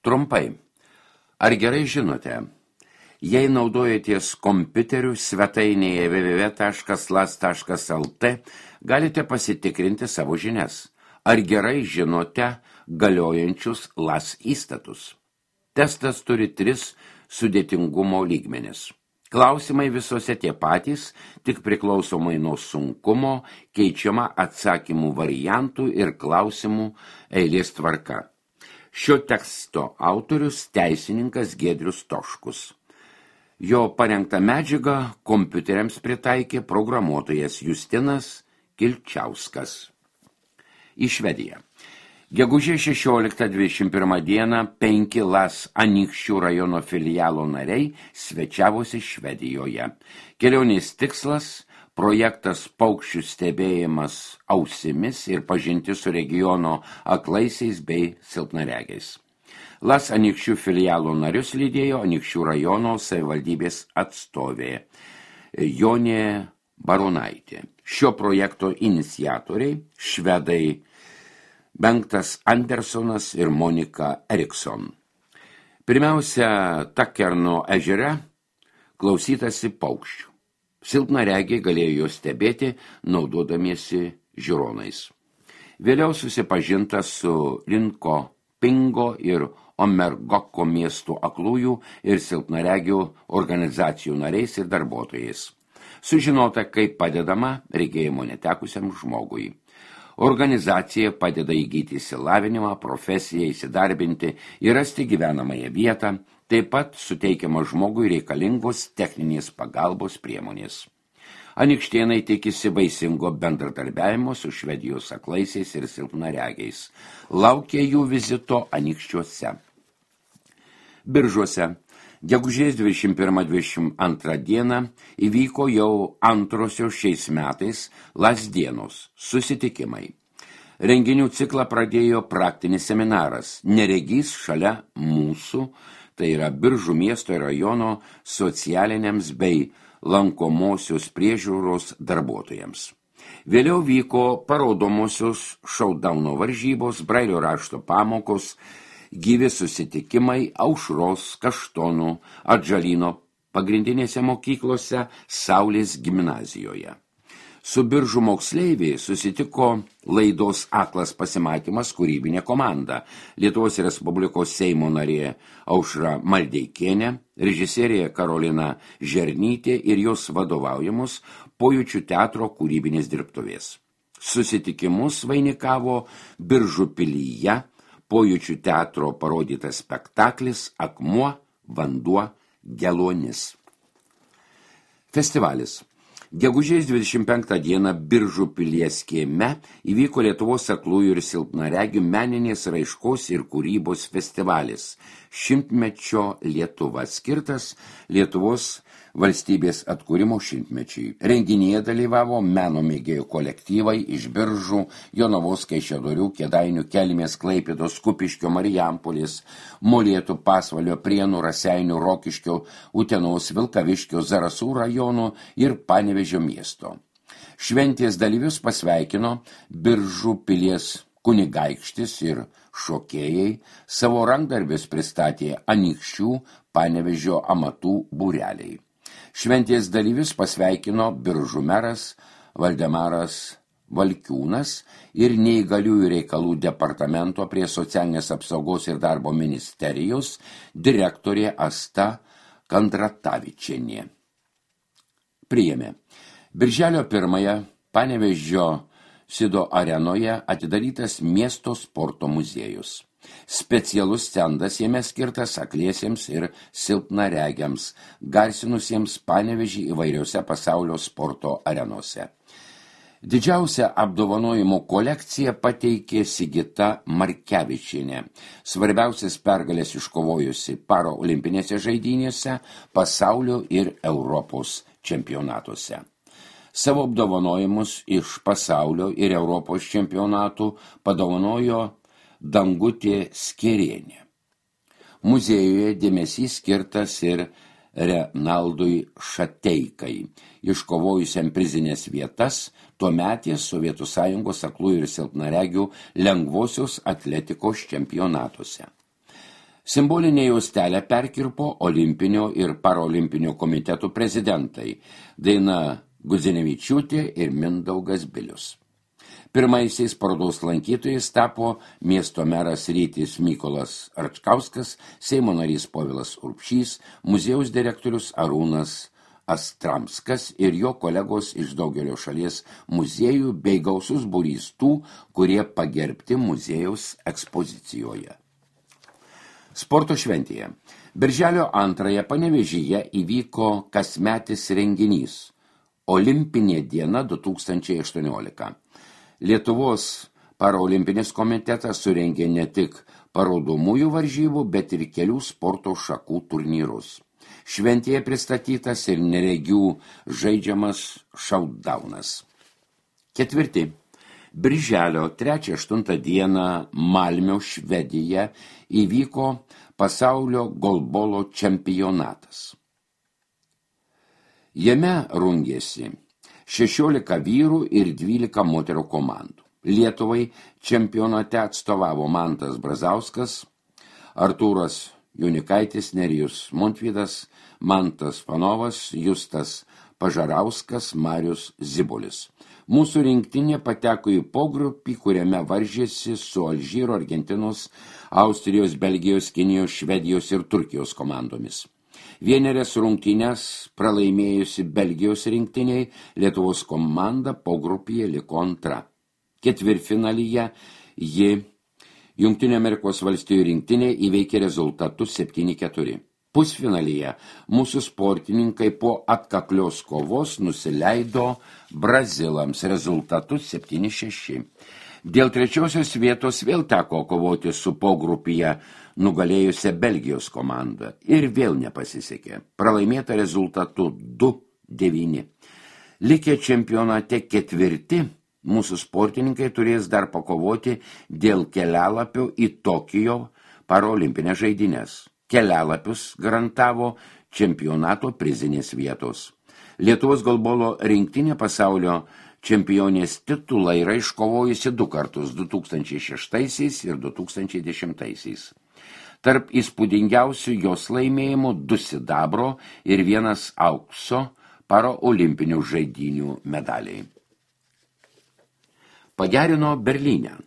Trumpai. Ar gerai žinote, jei naudojatės kompiuteriu svetainėje www.las.lt, galite pasitikrinti savo žinias. Ar gerai žinote galiojančius LAS įstatus? Testas turi 3 sudėtingumo lygmenis. Klausimai visose tie patys, tik priklausomai nuo sunkumo, keičiama atsakymų variantų ir klausimų eilės tvarka. Šio teksto autorius teisininkas Giedrius Toškus. Jo parengtą medžiagą kompiuteriams pritaikė programuotojas Justinas Kilčiauskas. Į Švediją. Gegužės 16-21 dieną 5 LAS Anykščių rajono filialo nariai svečiavosi Švedijoje. Kelionės tikslas – projektas paukščių stebėjimas ausimis ir pažinti su regiono aklaisiais bei silpnaregiais. LAS Anykščių filialo narius lydėjo Anykščių rajono savivaldybės atstovė Jonė Baronaitė. Šio projekto iniciatoriai švedai Bengtas Andersonas ir Monika Erikson. Pirmiausia, Takerno ežere klausytasi paukščių. Silpnaregiai galėjo juos stebėti, naudodamiesi žiūronais. Vėliau susipažinta su Linko Pingo ir Omergoko miestų aklųjų ir silpnaregių organizacijų nariais ir darbuotojais. Sužinota, kaip padedama regėjimo netekusiam žmogui. Organizacija padeda įgyti išsilavinimą, profesiją, įsidarbinti ir rasti gyvenamąją vietą, taip pat suteikiama žmogui reikalingos techninės pagalbos priemonės. Anykštėnai tikisi vaisingo bendradarbiavimo su Švedijos aklaisiais ir silpnaregiais. Laukia jų vizito Anykščiuose. Biržuose. Gegužės 21-22 dieną įvyko jau antrosios šiais metais LAS dienos susitikimai. Renginių ciklą pradėjo praktinis seminaras Neregys šalia mūsų, tai yra Biržų miesto ir rajono socialiniams bei lankomosios priežiūros darbuotojams. Vėliau vyko parodomosios šaudauno varžybos, brailio rašto pamokos, gyvi susitikimai Aušros, Kaštonų, Atžalyno pagrindinėse mokyklose, Saulės gimnazijoje. Su Biržų moksleiviai susitiko laidos Aklas pasimatymas kūrybinė komanda, Lietuvos Respublikos Seimo narė Aušra Maldeikienė, režisierė Karolina Žernytė ir jos vadovaujamos Pojūčių teatro kūrybinės dirbtuvės. Susitikimus vainikavo Biržų pilyje Pojūčių teatro parodytas spektaklis Akmuo, vanduo, geluonis. Festivalis. Gegužės 25 dieną Biržų pilies kieme įvyko Lietuvos aklųjų ir silpnaregių meninės raiškos ir kūrybos festivalis. 100-mečio Lietuva skirtas Lietuvos valstybės atkūrimo 100-mečiui. Renginyje dalyvavo meno mėgėjų kolektyvai iš Biržų, Jonavos, Kaišiadorių, Kėdainių, Kelmės, Klaipėdos, Kupiškio, Marijampolės, Molėtų, Pasvalio, Prienų, Raseinių, Rokiškio, Utenos, Vilkaviškio, Zarasų rajonų ir Panevėžio miesto. Šventės dalyvius pasveikino Biržų pilies kunigaikštis ir šokėjai, savo rankdarbius pristatė Anykščių, Panevėžio amatų būreliai. Šventės dalyvius pasveikino Biržų meras Valdemaras Valkiūnas ir neįgaliųjų reikalų departamento prie socialinės apsaugos ir darbo ministerijos direktorė Asta Kandratavičienė. Priėmė. Birželio 1 Panevėžio Sido arenoje atidarytas miesto sporto muziejus. Specialus stendas jame skirtas akliesiems ir silpnaregiams, garsinusiems Panevėžį įvairiose pasaulio sporto arenose. Didžiausią apdovanojimų kolekciją pateikė Sigita Markevičienė, svarbiausias pergalės iškovojusi paraolimpinėse žaidynėse, pasaulio ir Europos čempionatuose. Savo apdovanojimus iš pasaulio ir Europos čempionatų padovanojo Dangutė Skerienė. Muziejuje dėmesys skirtas ir Renaldui Šateikai, iškovojusiam prizinės vietas tuometės Sovietų Sąjungos aklųjų ir silpnaregių lengvosios atletikos čempionatuose. Simbolinė juostelę perkirpo Olimpinio ir Parolimpinio komitetų prezidentai Daina Gudzinevičiūtė ir Mindaugas Bilius. Pirmaisiais parodos lankytojais tapo miesto meras Rytis Mykolas Račkauskas, Seimo narys Povilas Urbšys, muziejaus direktorius Arūnas Astramskas ir jo kolegos iš daugelio šalies muziejų bei gausus būrys tų, kurie pagerbti muziejaus ekspozicijoje. Sporto šventėje. Birželio 2 Panevėžyje įvyko kasmetis renginys Olimpinė diena 2018. Lietuvos Paraolimpinis komitetas surengė ne tik parodomųjų varžybų, bet ir kelių sporto šakų turnyrus. Šventėje pristatytas ir neregių žaidžiamas šautdaunas. 4. Birželio 3-8 dieną Malmio, Švedija įvyko pasaulio golbolo čempionatas. Jame rungėsi 16 vyrų ir 12 moterų komandų. Lietuvai čempionate atstovavo Mantas Brazauskas, Artūras Junikaitis, Nerijus Montvydas, Mantas Panovas, Justas Pažarauskas, Marius Zibulis. Mūsų rinktinė pateko į pogrupį, kuriame varžėsi su Alžyro, Argentinos, Austrijos, Belgijos, Kinijos, Švedijos ir Turkijos komandomis. Vienerias rungtynes pralaimėjusi Belgijos rinktiniai, Lietuvos komanda pogrupyje liko antra. Ketvirtfinalyje ji Jungtinių Amerikos valstijų rinktinė įveikė rezultatus 7-4. Pusfinalyje mūsų sportininkai po atkaklios kovos nusileido brazilams rezultatus 7-6. Dėl trečiosios vietos vėl teko kovoti su pogrupyje nugalėjusią Belgijos komandą ir vėl nepasisekė. Pralaimėta rezultatu 2-9. Likę čempionate 4, mūsų sportininkai turės dar pakovoti dėl kelialapio į Tokijo parolimpinės žaidynės. Kelialapius garantavo čempionato prizinės vietos. Lietuvos golbolo rinktinė pasaulio čempionės titulą yra iškovojusi 2 kartus 2006 ir 2010. Tarp įspūdingiausių jos laimėjimų 2 sidabro ir 1 aukso paraolimpinių žaidynių medaliai. Pagerino Berlyne.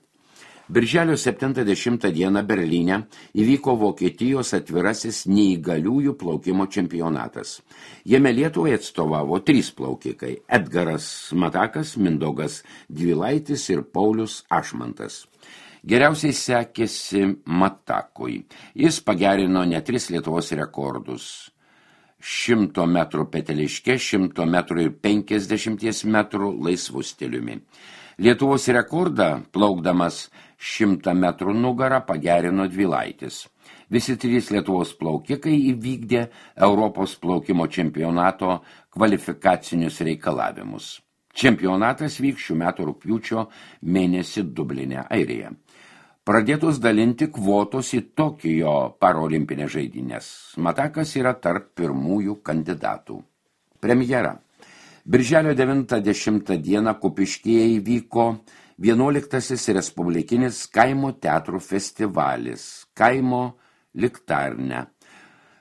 Birželio 70 dieną Berlyne įvyko Vokietijos atvirasis neįgaliųjų plaukimo čempionatas. Jame Lietuvai atstovavo 3 plaukikai – Edgaras Matakas, Mindaugas Dvilaitis ir Paulius Ašmantas. Geriausiai sekėsi Matakui. Jis pagerino net 3 Lietuvos rekordus – 100 metrų peteliške, 100 metrų ir 50 metrų laisvų stiliumi. Lietuvos rekordą plaukdamas 100 metrų nugarą pagerino Dvilaitis. Visi 3 Lietuvos plaukikai įvykdė Europos plaukimo čempionato kvalifikacinius reikalavimus. Čempionatas vyks šių metų rugpjūčio mėnesį Dubline, Airija. Pradėtos dalinti kvotos į Tokijo parolimpinės žaidynės. Matakas yra tarp pirmųjų kandidatų. Premjera. Birželio 90 dieną Kupiškyje įvyko 11. Respublikinis kaimo teatrų festivalis Kaimo Liktarne,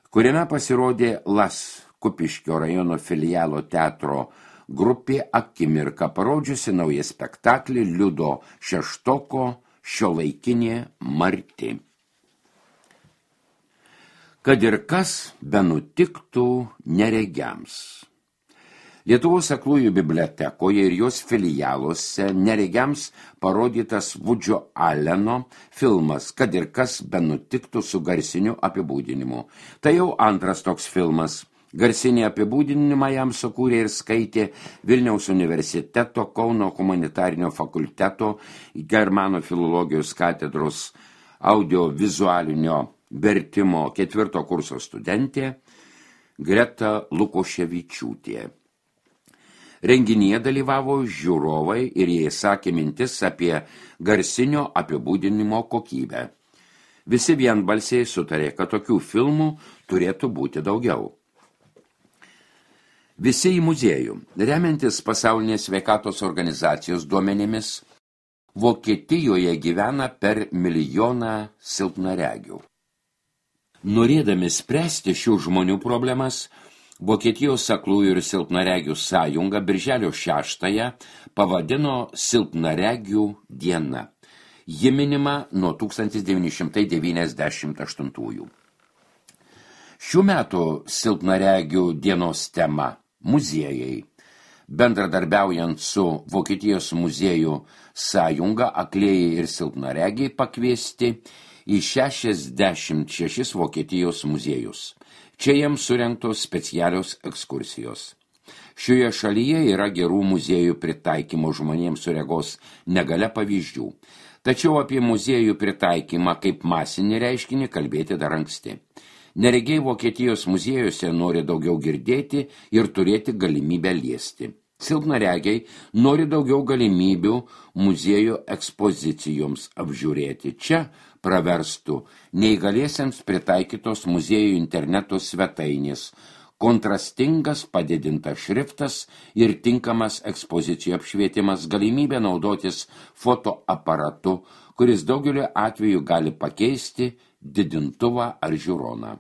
kuriame pasirodė LAS Kupiškio rajono filialo teatro grupė Akimirka, parodžiusi naują spektaklį Liudo Šeštoko Šiuolaikinė Marti. Kad ir kas benutiktų neregiams. Lietuvos aklųjų bibliotekoje ir jos filialuose neregiams parodytas Vudžio Aleno filmas Kad ir kas benutiktų su garsiniu apibūdinimu. Tai jau 2 toks filmas. Garsinį apibūdinimą jam sukūrė ir skaitė Vilniaus universiteto Kauno humanitarinio fakulteto Germanų filologijos katedros audiovizualinio vertimo 4 kurso studentė Greta Lukoševičiūtė. Renginyje dalyvavo žiūrovai ir jie sakė mintis apie garsinio apibūdinimo kokybę. Visi vienbalsiai sutarė, kad tokių filmų turėtų būti daugiau. Visi į muziejų. Remiantis pasaulinės sveikatos organizacijos duomenimis, Vokietijoje gyvena per 1 milijoną silpnaregių. Norėdami spręsti šių žmonių problemas, Vokietijos aklųjų ir silpnaregių sąjunga birželio 6-ąją pavadino Silpnaregių diena. Ji minima nuo 1998. Šių metų Silpnaregių dienos tema – muziejai. Bendradarbiaujant su Vokietijos muziejų sąjunga, aklieji ir silpnaregiai pakviesti į 66 Vokietijos muziejus. Čia jiems surengtos specialios ekskursijos. Šioje šalyje yra gerų muziejų pritaikymo žmonėms su regos negalia pavyzdžių. Tačiau apie muziejų pritaikymą kaip masinį reiškinį kalbėti dar anksti. Neregiai Vokietijos muziejuose nori daugiau girdėti ir turėti galimybę liesti. Silpnaregiai nori daugiau galimybių muziejų ekspozicijoms apžiūrėti. Čia praverstų neįgaliesiems pritaikytos muziejų interneto svetainės, kontrastingas padidintas šriftas ir tinkamas ekspozicijų apšvietimas, galimybė naudotis fotoaparatu, kuris daugeliu atveju gali pakeisti didintuvą ar žiūroną.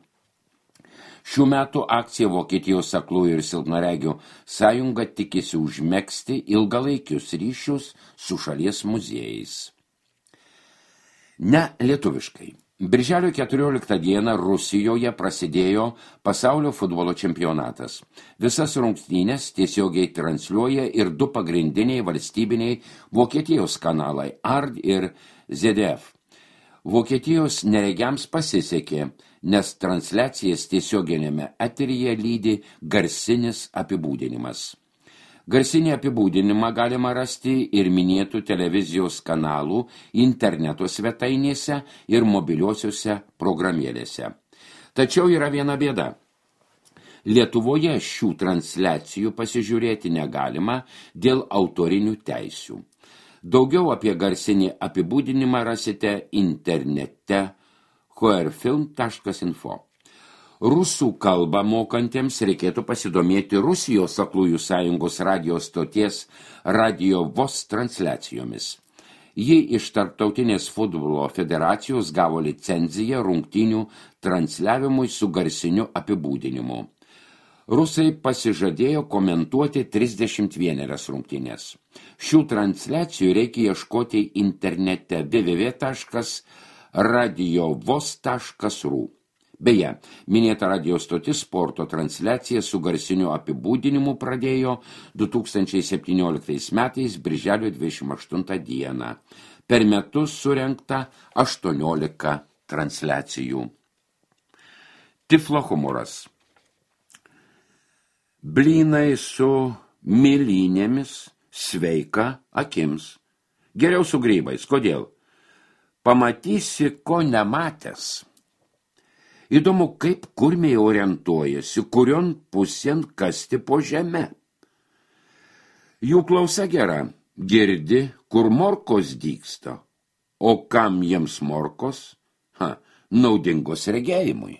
Šių metų akcija Vokietijos aklųjų ir silpnaregių sąjunga tikisi užmegzti ilgalaikius ryšius su šalies muziejais. Ne lietuviškai. Birželio 14 dieną Rusijoje prasidėjo pasaulio futbolo čempionatas. Visas rungtynes tiesiogiai transliuoja ir du pagrindiniai valstybiniai Vokietijos kanalai ARD ir ZDF. Vokietijos neregiams pasisekė, nes transliacijas tiesioginėme eteryje lydi garsinis apibūdinimas. Garsinį apibūdinimą galima rasti ir minėtų televizijos kanalų interneto svetainėse ir mobiliosiuose programėlėse. Tačiau yra viena bėda. Lietuvoje šių transliacijų pasižiūrėti negalima dėl autorinių teisių. Daugiau apie garsinį apibūdinimą rasite internete hrfilm.info. Rusų kalbą mokantiems reikėtų pasidomėti Rusijos aklųjų sąjungos radijo stoties Radio VOS transliacijomis. Ji iš Tarptautinės futbolo federacijos gavo licenciją rungtynių transliavimui su garsiniu apibūdinimu. Rusai pasižadėjo komentuoti 31 rungtynės. Šių transliacijų reikia ieškoti internete www.radiovos.ru. Beje, minėta radio stotis sporto transliaciją su garsiniu apibūdinimu pradėjo 2017 metais birželio 28 dieną. Per metus surengta 18 transliacijų. Tiflo humoras. Blynai su mėlynėmis sveika akims. Geriau su grybais. Kodėl? Pamatysi, ko nematęs. Įdomu, kaip kurmiai orientuojasi, kurion pusėn kasti po žemę. Jų klausa gera, girdi, kur morkos dygsta, o kam jiems morkos? Naudingos regėjimui.